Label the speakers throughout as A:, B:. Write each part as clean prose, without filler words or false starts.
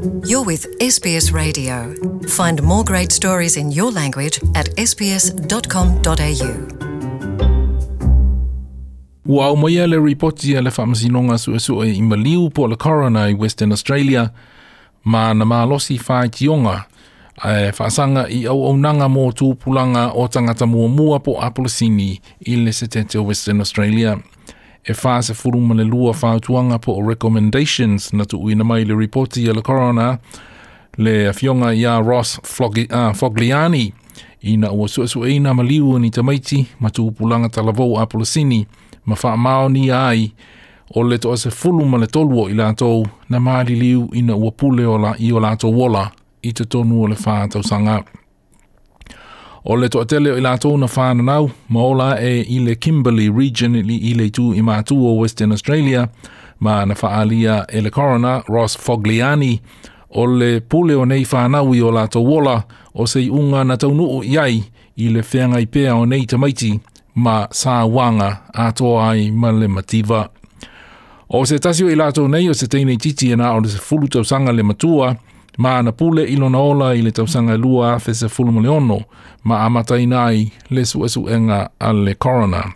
A: You're with SBS Radio. Find more great stories in your language at sbs.com.au.
B: Ua aumaia le ripoti a le Faamasinoga Suesue i Maliu po o le Coroner i Western Australia ma na malosi faitioga ae faasaga i auaunaga mo tupulaga o tagata muamua po o Apolisini i le Setete o Western Australia. E 42 fautuaga po o recommendations na tuuina mai le ripoti a le Coroner le afioga ia Ross Fogliani ina ua suesueina maliu ni tamaiti ma tupulaga talavou Apolisini ma faamaonia ai o le 13 o i latou na maliliu ina ua pule ola i o latou ola i totonu o le 4 tausaga. O le toatele o i latou na whananau ma ola e i le Kimberley Region i le itu i mātu o Western Australia ma na faalia e le coroner Ross Fogliani o le pule o nei whanau i o latou ola o se iuga na taunuu i ai i le feagai pea o nei tamaiti ma sauaga atoa ai ma le mativa. O se tasi o i latou nei o se teine titi e na o le 10 tausaga le matua ma na pule i lona ola i le tausaga 2016 ma amataina ai le suesuega a le coroner.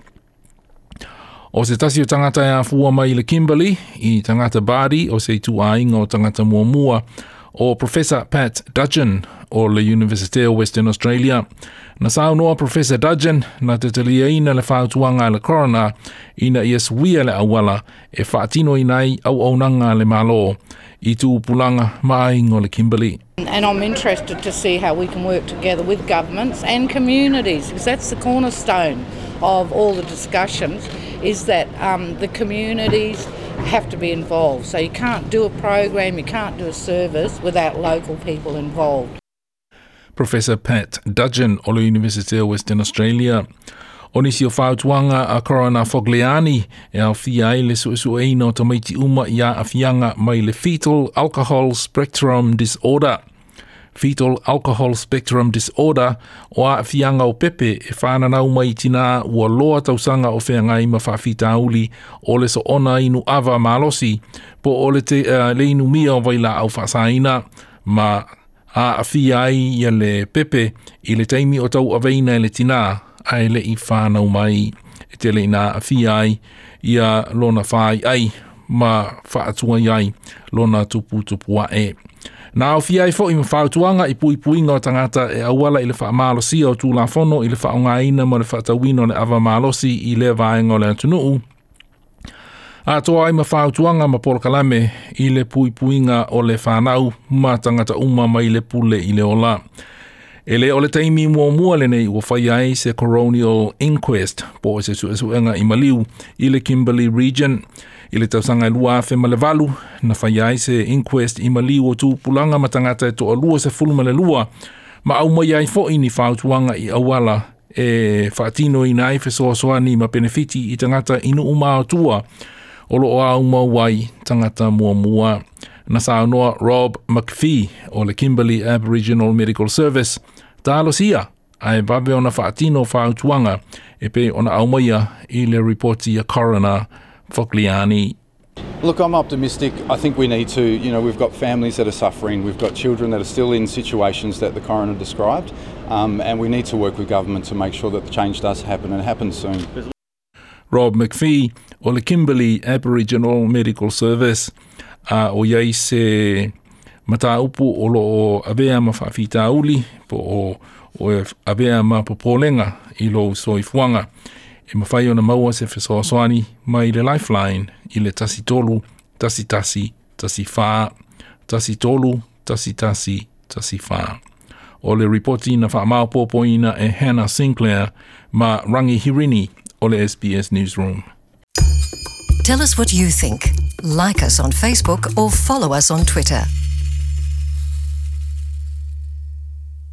B: O se tasi o tagata e afua mai le Kimberley i tagata Bardi o se ituaiga o tagata muamua o Professor Pat Dudgeon o le University o Western Australia. Na saunoa Professor Dudgeon na te taliaina le fautuaga a le coroner ina ia suia le auala e faatinoina ai auaunaga a le Malo i tupulaga ma aiga o le Kimberley.
C: And I'm interested to see how we can work together with governments and communities, because that's the cornerstone of all the discussions, is that the communities have to be involved. So you can't do a program, you can't do a service without local people involved.
B: Professor Pat Dudgeon o le University of Western Australia. O nisi o fautuaga a Coroner Fogliani e aofia ai le suesueina o tamaiti uma i aafiaga mai le Fetal Alcohol Spectrum Disorder. Fetal Alcohol Spectrum Disorder o aafiaga o pepe e whananau mai tina ua loa tausaga o feagai ma faafitauli o le soona inu ava malosi po o le, te, le inumia o vailaau faasaina ma aafia ai ia le pepe i le taimi o tauaveina e le tinā ae le i whānau mai e tele ina aafia ai ia lona whai ai ma faatuai ai lona tuputupu ae. Na aofia ai foi ma fautuaga i puipuiga o tagata e auala i le faamalosia o tulafono i le faaaogaina ma le faatauina o le ava malosi i lea vaega o le atunuu. Atoa ai ma fautuaga ma polokalame i le puipuiga o le whanau ma tagata uma mai le pule i le ola. E le o le taimi muamua lenei ua fai ai se coronial inquest po o se suesuega i maliu i le Kimberley Region. I le tausaga e 2008 na fai ai se inquest i maliu o tupulaga ma tagata e 22 ma aumai ai foi ni fautuaga i auala e faatinoina ai fesoasoani ma penefiti i tagata i nuu ma o tua o loo aumau ai tagata muamua. Na saunoa Rob McPhee o le Kimberley Aboriginal Medical Service. Talosia, ae vave ona faatino fautuaga e pei ona aumaia i le ripoti a Coroner Fogliani.
D: Look, I'm optimistic. I think we need to, we've got families that are suffering, we've got children that are still in situations that the coroner described, and we need to work with government to make sure that the change does happen and happens soon.
B: Rob McPhee o le Kimberley Aboriginal Medical Service a o iai se mataupu o loo avea ma faafitauli po o e avea ma popolega i lou soifuaga. E mafai ona maua se fesoasoani mai le Lifeline i le 13 11 14 13 11 14. O le ripoti na faamaopoopoina e Hannah Sinclair ma Rangi Hirini o le SBS Newsroom.
A: Tell us what you think. Like us on Facebook or follow us on Twitter.